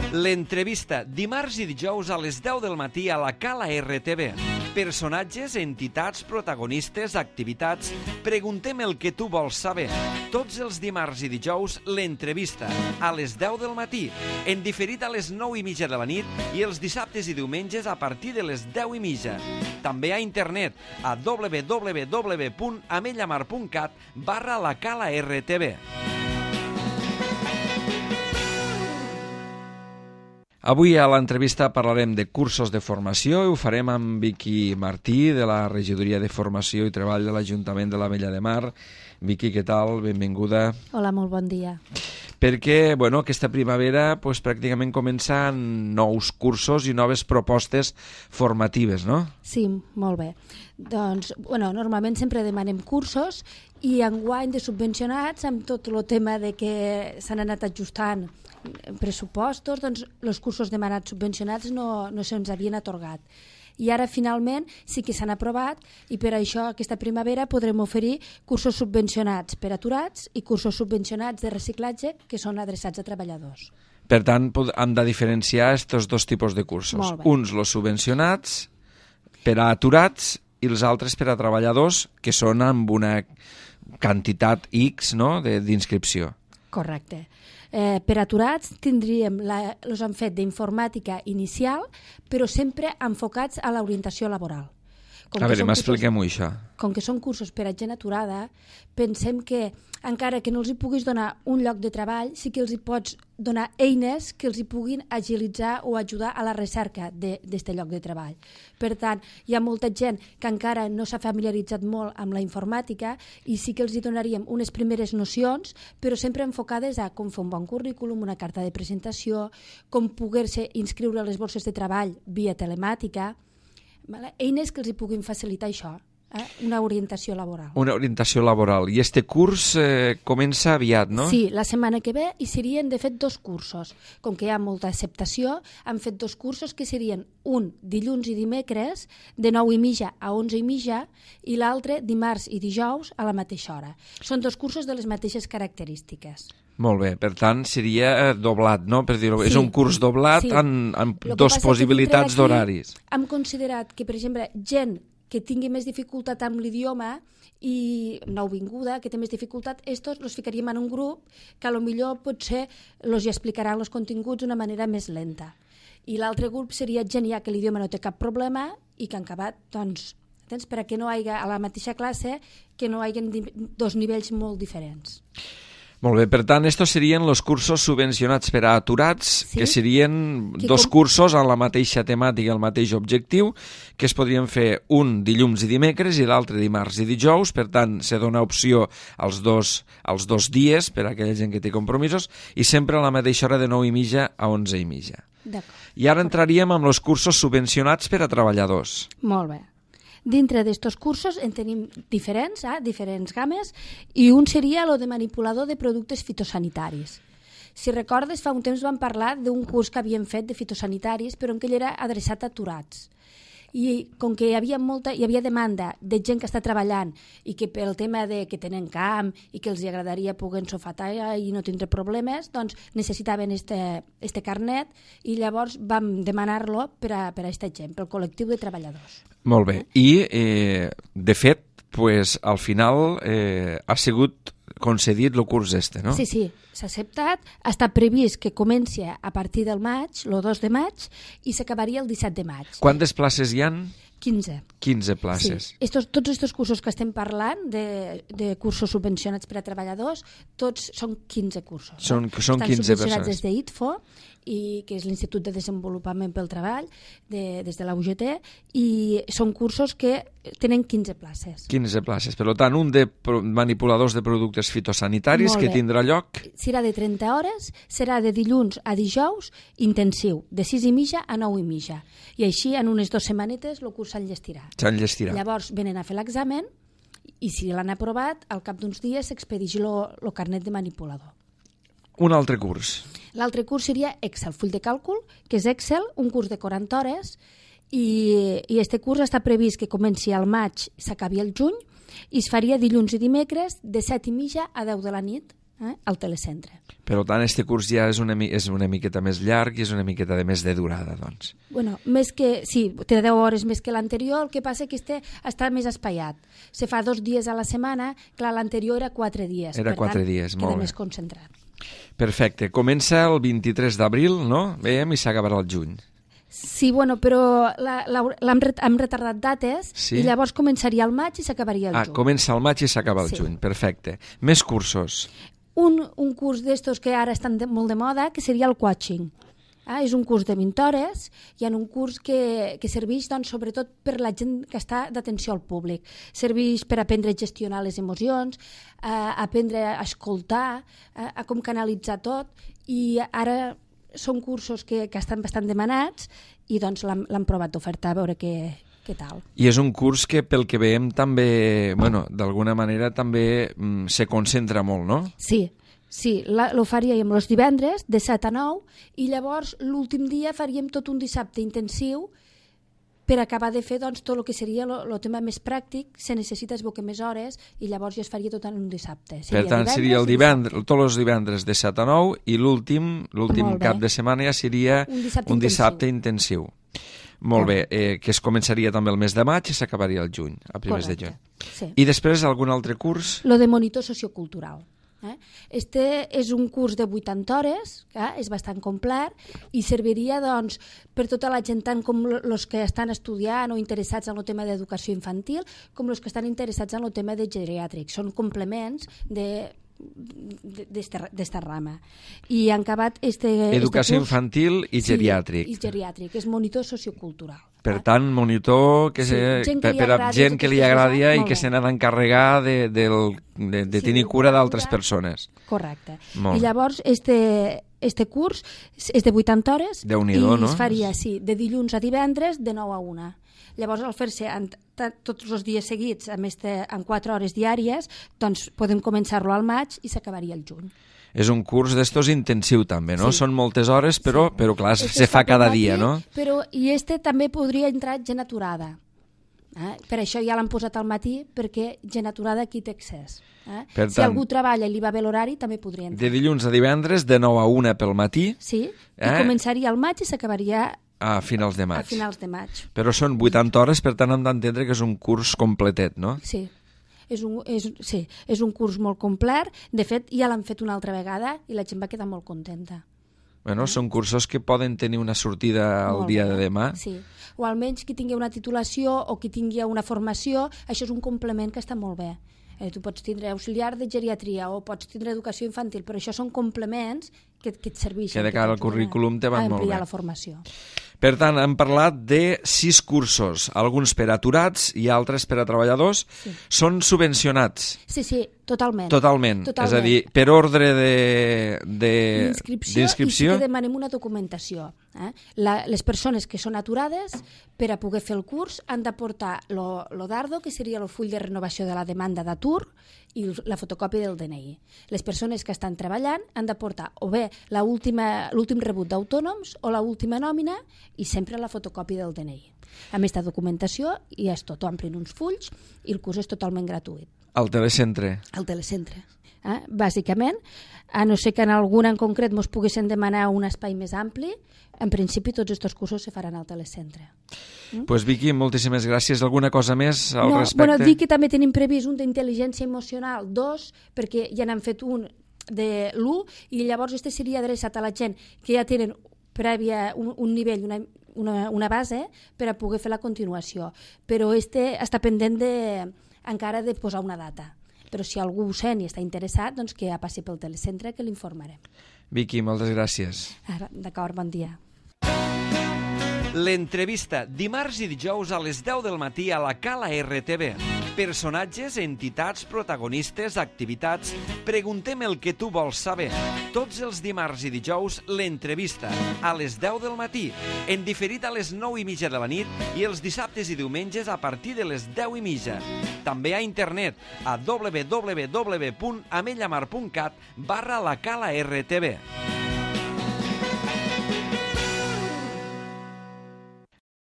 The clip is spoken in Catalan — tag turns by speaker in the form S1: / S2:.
S1: L'entrevista, dimarts i dijous a les 10 del matí a la Cala RTV. Personatges, entitats, protagonistes, activitats... Preguntem el que tu vols saber. Tots els dimarts i dijous, l'entrevista, a les 10 del matí, en diferit a les 9:30 de la nit i els dissabtes i diumenges a partir de les 10:30. També a internet a www.amellamar.cat/la Cala RTV. Avui a l'entrevista parlarem de cursos de formació i ho farem amb Vicky Martí, de la Regidoria de Formació i Treball de l'Ajuntament de l'Ametlla de Mar. Vicky, què tal? Benvinguda.
S2: Hola, molt bon dia.
S1: Perquè, aquesta primavera pràcticament comencen nous cursos i noves propostes formatives, no?
S2: Sí, molt bé. Doncs, normalment sempre demanem cursos i enguany de subvencionats amb tot el tema de que s'han anat ajustant pressupostos, doncs els cursos demanats subvencionats no se'ns havien atorgat. I ara finalment sí que s'han aprovat i per això aquesta primavera podrem oferir cursos subvencionats per aturats i cursos subvencionats de reciclatge que són adreçats a treballadors.
S1: Per tant, hem de diferenciar aquests dos tipus de cursos. Uns, els subvencionats, per a aturats, i els altres per a treballadors, que són amb una quantitat X, no?, d'inscripció.
S2: Correcte. Per aturats tindríem, els han fet d'informàtica inicial, però sempre enfocats a l'orientació laboral.
S1: A veure, m'expliquem-ho això.
S2: Com que són cursos per a gent aturada, pensem que encara que no els hi puguis donar un lloc de treball, sí que els hi pots donar eines que els hi puguin agilitzar o ajudar a la recerca d'aquest lloc de treball. Per tant, hi ha molta gent que encara no s'ha familiaritzat molt amb la informàtica i sí que els hi donaríem unes primeres nocions, però sempre enfocades a com fer un bon currículum, una carta de presentació, com poder-se inscriure a les borses de treball via telemàtica, eines que els hi puguin facilitar això. Una orientació laboral.
S1: Una orientació laboral. I este curs comença aviat, no?
S2: Sí, la setmana que ve i serien, de fet, 2 cursos. Com que hi ha molta acceptació, han fet 2 cursos que serien un dilluns i dimecres de 9:30 a 11:30 i l'altre dimarts i dijous a la mateixa hora. Són 2 cursos de les mateixes característiques.
S1: Molt bé, per tant seria doblat, no? Per dir-ho, és un curs doblat amb 2 possibilitats d'horaris.
S2: Hem considerat que, per exemple, gent que tingui més dificultat amb l'idioma i nouvinguda, que té més dificultat, estos els ficaríem en un grup que potser potser els explicaran els continguts d'una manera més lenta. I l'altre grup seria gent ja que l'idioma no té cap problema i que han acabat, doncs, per a que no hi hagi a la mateixa classe que no hi hagi 2 nivells molt diferents.
S1: Molt bé, per tant, estos serien els cursos subvencionats per a aturats, que serien 2 cursos amb la mateixa temàtica, el mateix objectiu, que es podrien fer un dilluns i dimecres i l'altre dimarts i dijous, per tant, se dona opció als dos dies per a aquella gent que té compromisos i sempre a la mateixa hora de 9:30 a 11:30. I ara entraríem amb els cursos subvencionats per a treballadors.
S2: Molt bé. Dintre d'estos cursos en tenim diferents games, i un seria el de manipulador de productes fitosanitaris. Si recordes, fa un temps vam parlar d'un curs que havíem fet de fitosanitaris, però en què era adreçat a aturats. I com que hi havia demanda de gent que està treballant i que pel tema de que tenen camp i que els agradaria poder ensofatar i no tindre problemes, doncs necessitaven este carnet i llavors vam demanar-lo per a aquesta gent, pel col·lectiu de treballadors.
S1: Molt bé. I, de fet, al final ha sigut concedit el curs no?
S2: Sí, s'ha acceptat. Està previst que comenci a partir del maig, el 2 de maig, i s'acabaria el 17 de maig.
S1: Quantes places hi han?
S2: 15.
S1: 15 places.
S2: Sí. Tots aquests cursos que estem parlant, de cursos subvencionats per a treballadors, tots són 15 cursos.
S1: Són 15
S2: Estan subvencionats
S1: persones.
S2: des d'ITFO, que és l'Institut de Desenvolupament pel Treball, des de la UGT, i són cursos que tenen 15 places.
S1: 15 places. Per tant, un de manipuladors de productes fitosanitaris que tindrà lloc...
S2: Serà de 30 hores, serà de dilluns a dijous, intensiu, de 6:30 a 9:30. I així, en unes 2 setmanetes, el curs s'enllestirà. Llavors venen a fer l'examen i si l'han aprovat, al cap d'uns dies s'expedeix el carnet de manipulador.
S1: Un altre curs.
S2: L'altre curs seria Excel, full de càlcul, que és Excel, un curs de 40 hores, i este curs està previst que comenci al maig i s'acabi al juny, i es faria dilluns i dimecres de 7:30 a 10 de la nit. al telecentre.
S1: Per tant, este curs ja és una miqueta més llarg i és una miqueta de més de durada, doncs.
S2: Bueno, sí, té 10 hores més que l'anterior, el que passa que està més espaiat. Se fa 2 dies a la setmana, clar, l'anterior era 4 dies.
S1: Era 4 dies, molt bé.
S2: Queda més concentrat.
S1: Perfecte. Comença el 23 d'abril, no? Veiem, i s'acabarà el juny.
S2: Sí, bueno, però hem retardat dates i llavors començaria al maig i s'acabaria al juny.
S1: Comença al maig i s'acaba al juny, perfecte. Més cursos.
S2: Un curs d'estos que ara estan molt de moda, que seria el coaching. És un curs de 20 hores, hi ha un curs que serveix doncs, sobretot per la gent que està d'atenció al públic. Serveix per aprendre a gestionar les emocions, aprendre a escoltar, a com canalitzar tot, i ara són cursos que estan bastant demanats i doncs l'han provat d'ofertar a veure què tal.
S1: I és un curs que, pel que veiem, també, bueno, d'alguna manera també se concentra molt, no?
S2: Sí, lo faríem els divendres de 7 a 9 i llavors l'últim dia faríem tot un dissabte intensiu per acabar de fer doncs, tot el que seria el tema més pràctic. Se necessita es boca més hores i llavors ja es faria tot en un dissabte.
S1: Per tant, seria tots els divendres de 7 a 9 i l'últim cap de setmana ja seria un dissabte intensiu. Molt bé, que es començaria també el mes de maig i s'acabaria el juny, a primers de juny. I després algun altre curs?
S2: Lo de monitor sociocultural. Este és un curs de 80 hores, és bastant complet i serviria doncs, per tota la gent, tant com els que estan estudiant o interessats en el tema d'educació infantil com els que estan interessats en el tema de geriàtric. Són complements d'esta rama. I han acabat
S1: educació infantil i geriàtric.
S2: I geriàtric, és monitor sociocultural.
S1: Per tant, monitor per a gent que li agradi i que se n'ha d'encarregar de tenir cura d'altres persones.
S2: Correcte. I llavors, este curs és de 80 hores i es faria de dilluns a divendres de 9 a 1. Llavors, al fer-se tots els dies seguits en 4 hores diàries, doncs podem començar-lo al maig i s'acabaria el juny.
S1: És un curs d'estos intensiu també, no? Són moltes hores, però clar, se fa cada dia, no?
S2: I també podria entrar gent aturada. Per això ja l'han posat al matí, perquè gent aturada aquí té accés. Si algú treballa i li va bé l'horari, també podria entrar.
S1: De dilluns a divendres, de 9 a 1 pel matí.
S2: Sí, i començaria al maig i s'acabaria
S1: a finals de maig.
S2: A finals de maig.
S1: Però són 80 hores, per tant hem d'entendre que és un curs completet, no?
S2: Sí. És un curs molt complet. De fet, ja l'han fet una altra vegada i la gent va quedar molt contenta.
S1: Bueno, són cursos que poden tenir una sortida el dia de demà.
S2: Sí, o almenys qui tingui una titulació o qui tingui una formació, això és un complement que està molt bé. Tu pots tindre auxiliar de geriatria o pots tindre educació infantil, però això són complements que et serveixen.
S1: Que de cara al currículum te van molt bé.
S2: A ampliar la formació.
S1: Per tant, hem parlat de 6 cursos, alguns per a aturats i altres per a treballadors. Són subvencionats?
S2: Sí, totalment.
S1: Totalment. És a dir, per ordre d'inscripció.
S2: I sí que demanem una documentació. Les persones que són aturades, per a poder fer el curs, han d'aportar lo dardo, que seria el full de renovació de la demanda d'atur, i la fotocòpia del DNI. Les persones que estan treballant han d'aportar o bé l'últim rebut d'autònoms o l'última nòmina i sempre la fotocòpia del DNI. Amb aquesta documentació i és tot, omplin uns fulls i el curs és totalment gratuït.
S1: Al telecentre?
S2: Al telecentre. Bàsicament, a no ser que en algun en concret ens poguessin demanar un espai més ampli, en principi tots aquests cursos se faran al telecentre.
S1: Pues Vicky, moltíssimes gràcies. Alguna cosa més al respecte?
S2: Dic que també tenim previst un d'intel·ligència emocional, 2, perquè ja n'han fet un de l'1 i llavors este seria adreçat a la gent que ja tenen prèvia un nivell, una base per a poder fer la continuació. Però este està pendent encara de posar una data. Però si algú ho sent i està interessat, doncs que ja passi pel telecentre que l'informarem.
S1: Vicky, moltes gràcies.
S2: D'acord, bon dia.
S1: L'entrevista, dimarts i dijous a les 10 del matí a la Cala RTV. Personatges, entitats, protagonistes, activitats... Preguntem el que tu vols saber. Tots els dimarts i dijous, l'entrevista, a les 10 del matí, en diferit a les 9:30 de la nit i els dissabtes i diumenges a partir de les 10:30. També a internet a www.amellamar.cat/la Cala RTV.